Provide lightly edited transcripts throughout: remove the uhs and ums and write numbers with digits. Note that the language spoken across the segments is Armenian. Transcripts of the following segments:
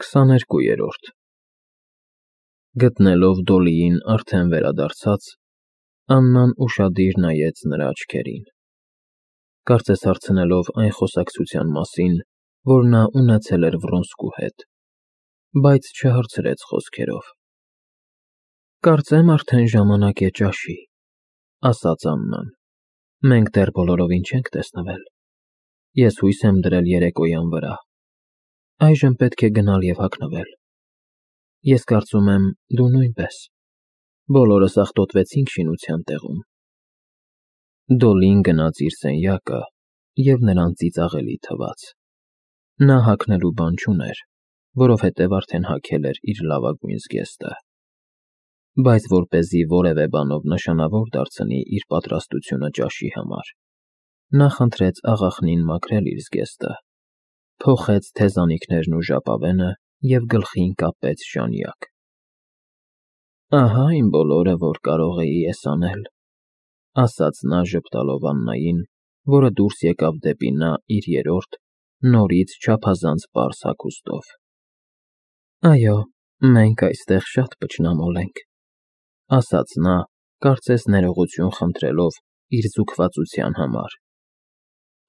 22-րդ Գտնելով Դոլիին արդեն վերադարձած, Աննան ուշադիր նայեց նրա աչքերին, կարծես հարցնելով այն խոսակցության մասին, որ նա ունեցել էր Վռոնսկու հետ, բայց չհարցրեց խոսքերով։ Կարծեմ արդեն ժամանակ է ճաշի, ասաց Աննան, մենք դեռ բոլորովին չենք տեսնվել, ես հույս եմ դրել երեկոյան վրա, այժմ պետք է գնալ և հագնվել, ես կարծում եմ դու նույնպես, բոլորս աղտոտվեցինք շինության տեղում։ Դոլին գնաց իր սենյակը և նրան ծիծաղելի թվաց, նա հագնելու բան չուներ, որովհետև արդեն հագել էր իր լավագույն զգեստը, բայց որպեսզի որևէ բանով նշանավոր դարձնի իր պատրաստությունը ճաշի համար, նա խնդրեց աղախնին մաքրել իր զգեստը, փոխեց թեզանիքներն ու ժապավենը և գլխին կապեց ժանյակ։ Ահա իմ բոլորը, որ կարող էի ես անել, ասաց նա ժպտալով Աննային, որը դուրս եկավ դեպի նա իր երրորդ, նորից չափազանց պարզ հագուստով։ Այո, մենք այստեղ շատ փչնամոլ ենք, ասաց նա, կարծես ներողություն խնդրելով իր զուգվածության համար։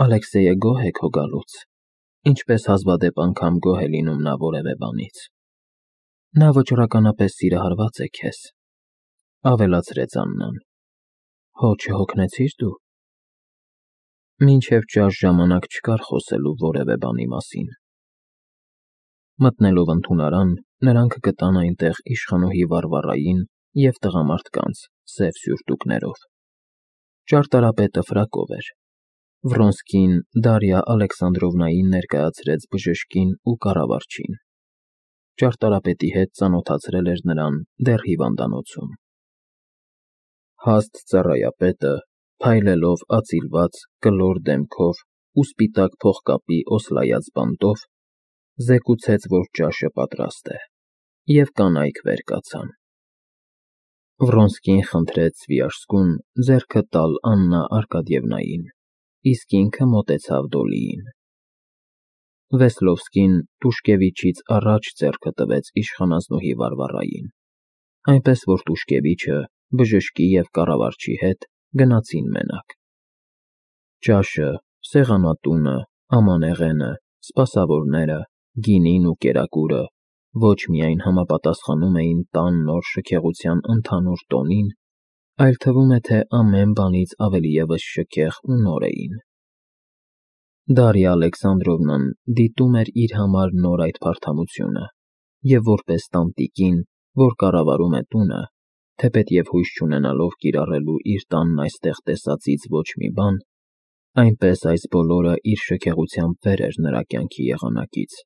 Ալեքսեյը գոհ է քո գալուց, ինչպես հազվադեպ անգամ գոհ է լինում նա որևէ բանից։ Նա վճռականապես սիրահարված է քեզ, ավելացրեց Աննան։ Հո չհոգնեցի՞ր դու։ Մինչև ճաշ ժամանակ չկար խոսելու որևէ բանի մասին։ Մտնելով ընդունարան, նրանք գտան այնտեղ իշխանուհի Վարվարային և տղամարդկանց սև սյուրտուկներով։ Ճարտարապետը ֆրակով էր։ Վռոնսկին Դարիա Ալեքսանդրովնային ներկայացրեց բժշկին ու կառավարչին։ Ճարտարապետի հետ ծանոթացրել էր նրան դեռ հիվանդանոցում։ Հաստ ծառայապետը, փայլելով ածիլված, կլոր դեմքով ու սպիտակ փողկապի օսլայած բանտով, զեկուցեց, որ ճաշը պատրաստ է, և կանայք վեր կացան։ Վռոնսկին խնդրեց Սվիաշսկուն ձեռքը տալ Աննա Արկադիևնային, իսկ ինքը մոտեցավ Դոլիին։ Վեսլովսկին Տուշկևիչից առաջ ձեռքը տվեց իշխանազնուհի Վարվարային, այնպես որ Տուշկևիչը բժշկի և կառավարչի հետ գնացին մենակ։ Ճաշը, սեղանատունը, ամանեղենը, սպասավորները, գինին ու կերակուրը ոչ միայն համապատասխանում էին տան նոր շքեղության ընդհանուր տոնին, այլ թվում է, թե ամեն բանից ավելիևս շքեղ ու նոր էին։ Դարիա Ալեքսանդրովնան դիտում էր իր համար նոր այդ փարթամությունը և որպես տանտիկին, որ կառավարում է տունը, թեպետև հույս չունենալով կիրառելու իր տանն այստեղ տեսածից ոչ մի բան, այնպես այս բոլորը իր շքեղությամբ վեր էր նրա կյանքի եղանակից։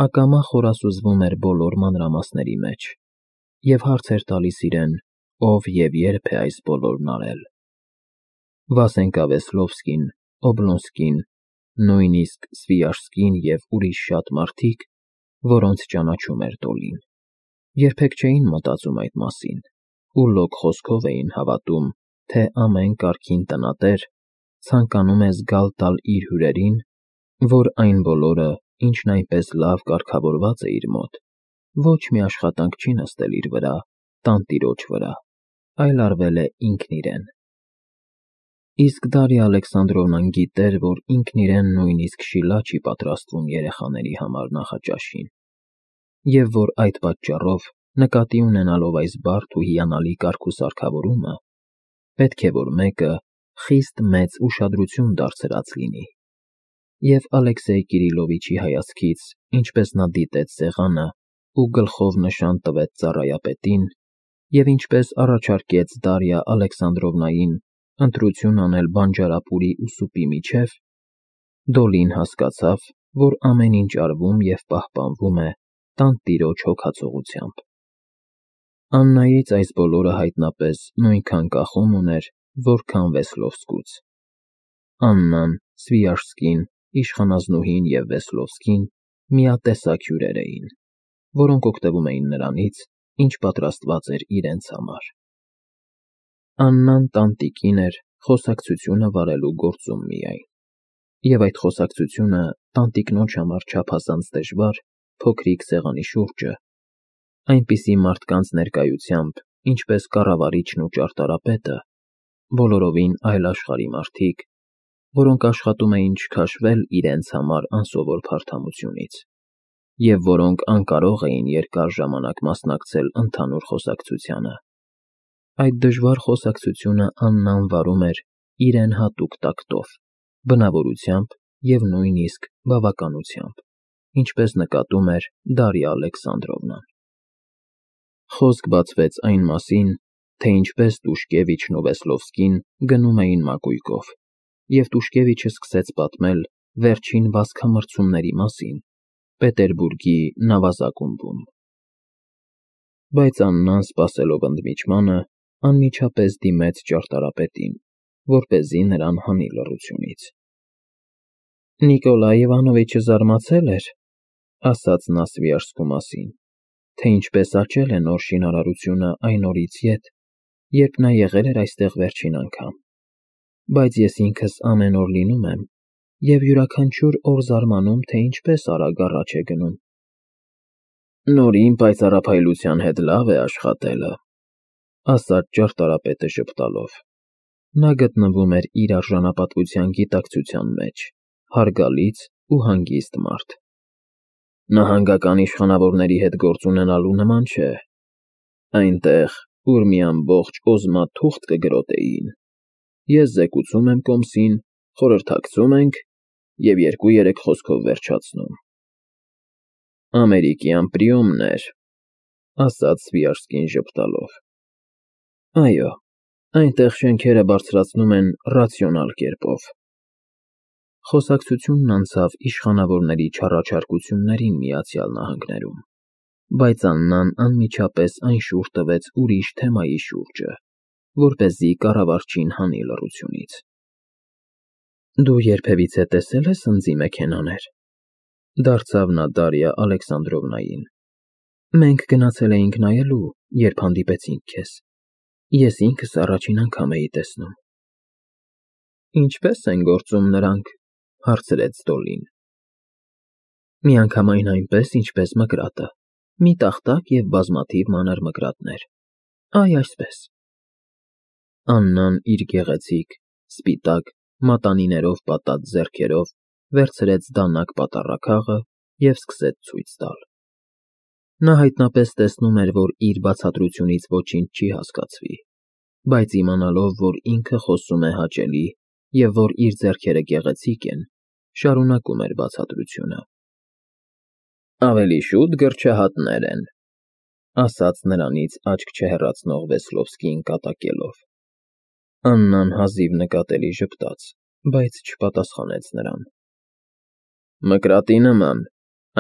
Ակամա խորասուզվում էր բոլոր մանրամասների մեջ և հարց էր տալիս իրեն, ով և երբ է այս բոլորն արել։ Վասենկա Վեսլովսկին, Օբլոնսկին, նույնիսկ Սվիաշսկին և ուրիշ շատ մարդիկ, որոնց ճանաչում էր Դոլին, երբեք չէին մտածում այդ մասին ու լոկ խոսքով էին հավատում, թե ամեն կարգին տնատեր ցանկանում է զգալ տալ իր հյուրերին, որ այն բոլորը, ինչն այնպես լավ կարգավորված է իր մոտ, ոչ մի աշխատանք չի նստել իր վրա, տանտիրոջ վրա, այլ արվել է ինքն իրեն։ Իսկ Դարիա Ալեքսանդրովնան գիտեր, որ ինքն իրեն նույնիսկ շիլա չի պատրաստվում երեխաների համար նախաճաշին, և որ այդ պատճառով, նկատի ունենալով այս բարդ ու հիանալի կարգուսարգավորումը, պետք է որ մեկը խիստ մեծ ուշադրություն դարձրած լինի։ Եվ Ալեքսեյ Կիրիլովիչի հայացքից, ինչպես նա դիտեց սեղանը ու գլխով նշան տվեց ծառայապետին, և ինչպես առաջարկեց Դարիա Ալեքսանդրովնային ընտրություն անել բանջարապուրի ու սուպի միջև, Դոլին հասկացավ, որ ամեն ինչ արվում և պահպանվում է տանտիրոջ հոգացողությամբ։ Աննայից այս բոլորը հայտնապես նույնքան կախում ուներ, որքան Վեսլովսկուց։ Աննան, Սվիաշսկին, իշխանազնուհին և Վեսլովսկին միատեսակ հյուրեր էին, որոնք օգտվում էին նրանից, ինչ պատրաստված էր իրենց համար։ Աննան տանտիկին էր խոսակցությունը վարելու գործում միայն, և այդ խոսակցությունը տանտիկնոջ համար չափազանց դժվար փոքրիկ սեղանի շուրջը, այնպիսի մարդկանց ներկայությամբ, ինչպես կառավարիչն ու ճարտարապետը, բոլորովին այլ աշխարհի մարդիկ, որոնք աշխատում էին չքաշվել իրենց համար անսովոր փարթամությունից, և որոնք անկարող էին երկար ժամանակ մասնակցել ընդհանուր խոսակցությանը։ Այդ դժվար խոսակցությունը Աննան վարում էր իրեն հատուկ տակտով, բնավորությամբ և նույնիսկ բավականությամբ, ինչպես նկատում էր Դարիա Ալեքսանդրովնան։ Խոսք բացվեց այն մասին, թե ինչպես Տուշկևիչն ու Վեսլովսկին գնում էին մակույկով, և Տուշկևիչը սկսեց պատմել վերջին վազքամրցումների մասին Պետերբուրգի նավազակումբում։ Բայց Աննան, սպասելով ընդմիջմանը, անմիջապես դիմեց ճարտարապետին, որպեսզի նրան հանի լռությունից։ Նիկոլայ Իվանովիչը զարմացել էր, ասաց նա Սվիաժսկու մասին, թե ինչպես աճել է նոր շինարարությունը այն օրից ետ, երբ նա եղել էր այստեղ վերջին անգամ, բայց ես ինքս ամեն օր լինում եմ և յուրաքանչյուր օր զարմանում, թե ինչպես արագ առաջ է գնում։ Նորին պայծառափայլության հետ լավ է աշխատելը, ասաց ճարտարապետը ժպտալով։ Նա գտնվում էր իր արժանապատվության գիտակցության մեջ, հարգալից ու հանգիստ մարդ։ Նահանգական իշխանավորների հետ գործ ունենալու նման չէ, այնտեղ, ուր մի ամբողջ օզմա թուղթ կգրոտեին, ես զեկուցում եմ կոմսին, խորհրդակցում ենք և 2-3 խոսքով վերջացնում։ Ամերիկյան պրիոմներ, ասաց Սվիաժսկին ժպտալով։ Այո, այնտեղ շենքերը բարձրացնում են ռացիոնալ կերպով։ Խոսակցությունն անցավ իշխանավորների չառաջարկություններին Միացյալ Նահանգներում, բայց Աննան անմիջապես այն շուռ տվեց ուրիշ թեմայի շուրջը, որպեսզի կառավարչին հանի լռությունից։ Դու երբևիցե տեսել ես ընձի մեքենաներ, դարձավ նա Դարիա Ալեքսանդրովնային։ Մենք գնացել էինք նայելու, երբ հանդիպեցինք քեզ։ Ես ինքս առաջին անգամ էի տեսնում։ Ինչպե՞ս են գործում նրանք, հարցրեց Դոլին։ Միանգամայն այնպես, ինչպես մկրատը, մի տախտակ և բազմաթիվ մանր մկրատներ։ Այ այսպես։ Աննան իր գեղեցիկ, սպիտակ, մատանիներով պատած ձեռքերով վերցրեց դանակ պատառաքաղը և սկսեց ցույց տալ։ Նա հայտնապես տեսնում էր, որ իր բացատրությունից ոչինչ չի հասկացվի, բայց իմանալով, որ ինքը խոսում է հաճելի և որ իր ձեռքերը գեղեցիկ են, շարունակում էր բացատրությունը։ Ավելի շուտ գրչահատներ են, ասաց նրանից աչք չհեռացնող Վեսլովսկին կատակելով։ Աննան հազիվ նկատելի ժպտաց, բայց չպատասխանեց նրան։ Մկրատի նման,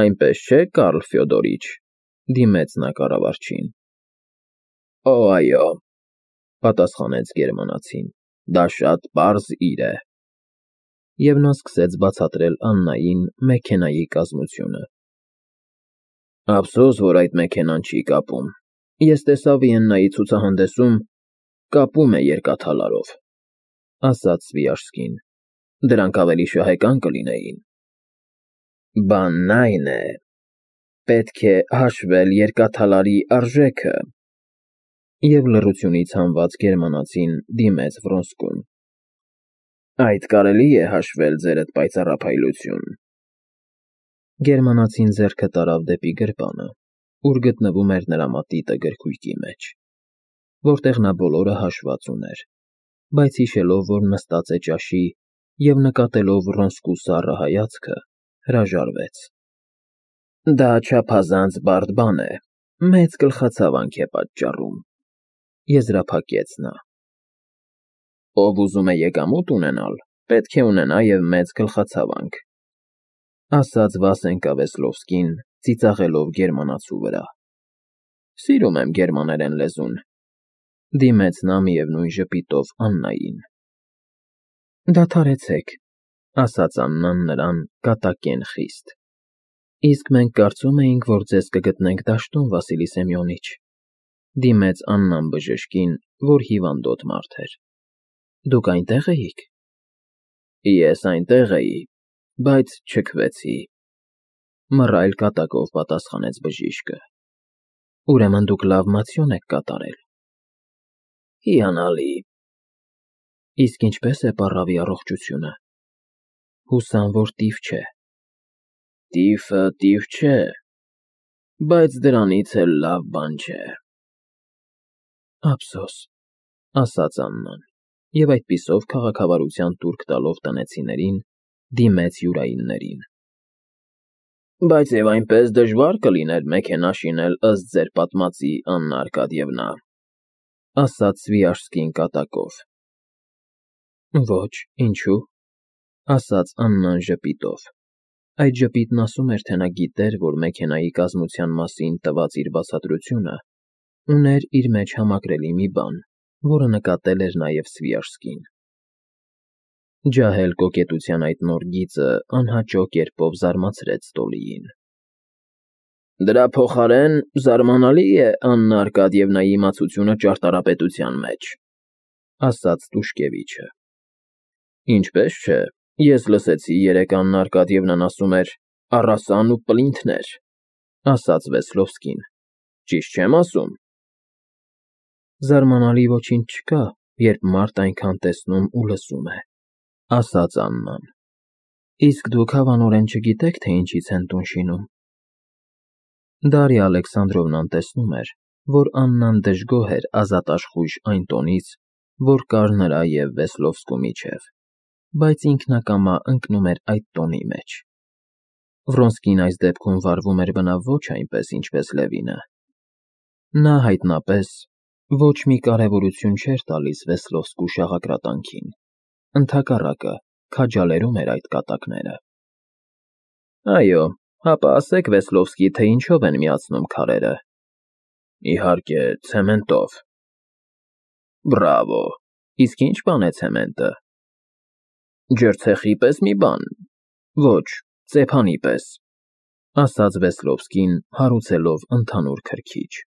այնպես չէ, Կարլ Ֆյոդորիչ, դիմեց նա կառավարչին։ Օ, այո, պատասխանեց գերմանացին, դա շատ պարզ իր է։ Եվ նա սկսեց բացատրել Աննային մեքենայի կազմությունը։ Ափսոս, որ այդ մեքենան չի կապում։ Ես տեսա Վիեննայի ցուցահանդեսում, կապում է երկաթալարով, ասաց Սվիաժսկին։ Դրանք ավելի շահեկան կլինեին։ Բանն այն է, պետք է հաշվել երկաթալարի արժեքը։ Եվ լռությունից հանված գերմանացին դիմեց Վրոնսկուն։ Այդ կարելի է հաշվել, ձերդ պայծառափայլություն։ Գերմանացին ձեռքը տարավ դեպի գրպանը, ուր գտնվում էր նրա մատիտը գրքույկի մեջ, որտեղ նա բոլորը հաշված ուներ, բայց հիշելով, որ նստած է ճաշի և նկատելով Վրոնսկու սառը հայացքը, հրաժարվեց։ Դա չափազանց բարդ բան է, մեծ գլխացավանք է պատճառում, եզրափակեց նա։ Ով ուզում է եկամուտ ունենալ, պետք է ունենա և մեծ գլխացավանք, ասաց Վասենկա Վեսլովսկին, ծիծաղելով գերմանացու վրա։ Սիրում եմ գերմաներեն լեզուն, դիմեց նա միևնույն ժպիտով Աննային։ Դադարեցեք, ասաց Աննան նրան կատակեն խիստ։ Իսկ մենք կարծում էինք, որ ձեզ կգտնենք դաշտում, Վասիլի Սեմյոնիչ, դիմեց Աննան բժշկին, որ հիվանդոտ մարդ էր։ Դուք այնտեղ էիք։ Ես այնտեղ էի, բայց չքվեցի։ Մռայլ կատակով պատասխանեց բժիշկը։ Ուրեմն դուք լավ մացիոն եք կատարել։ Հիանալի։ Իսկ ինչպես է պառավի առողջությունը։ Հուսամ, որ տիվ չէ։ Տիֆը տիվ չէ, բայց դրանից էլ լավ բան չէ։ Ափսոս, ասաց Աննան, և այդպիսով քաղաքավարության տուրք տալով տնեցիներին, դիմեց յուրայիններին։ Բայց և այնպես դժվար կլիներ մեքենա շինել ըստ ձեր պատմածի, Աննա Արկադիևնա, ասաց Սվիաժսկին կատակով։ Ոչ, ինչու, ասաց Աննան ժպիտով։ Այդ ժպիտն ասում էր, թե նա գիտեր, որ մեքենայի կազմության մասին տված իր բացատրությունը ուներ իր մեջ համակրելի մի բան, որը նկատել էր նաև Սվիաժսկին։ Ջահել կոկետության այդ նոր գիծը անհաճո կերպով զարմացրեց Տոլիին։ Դրա փոխարեն զարմանալի է Աննա Արկադիևնայի իմացությունը ճարտարապետության մեջ, ասաց Տուշկևիչը։ Ինչպես չէ, ես լսեցի երեկ Աննա Արկադիևնան ասում էր առասան ու պլինթներ, ասաց Վեսլովսկին, ճիշտ չեմ ասում։ Զարմանալի ոչինչ չկա, երբ մարդ այնքան տեսնում ու լսում է, ասաց Աննան։ Իսկ դուք հավանորեն չգիտեք, թե ինչից են տուն շինում։ Դարիա Ալեքսանդրովնան տեսնում էր, որ Աննան դժգոհ էր ազատաշխույժ այն տոնից, որ կար նրա և Վեսլովսկու միջև, բայց ինքնակամա ընկնում էր այդ տոնի մեջ։ Վրոնսկին այս դեպքում վարվում էր բնավ ոչ այնպես, ինչպես Լևինը։ Նա հայտնապես ոչ մի կարևորություն չէր տալիս Վեսլովսկու շաղակրատանքին, ընդհակառակը քաջալերում էր այդ կատակները։ Այո, հապա ասեք Վեսլովսկի, թե ինչով են միացնում քարերը։ Իհարկե, ցեմենտով։ Բրավո, իսկ ինչ բան է ցեմենտը։ Ջրցეხի պես մի բան։ Ոչ, ծեփանի պես, ասաց Վեսլովսկին, հարուցելով ընդհանուր քրքիջ։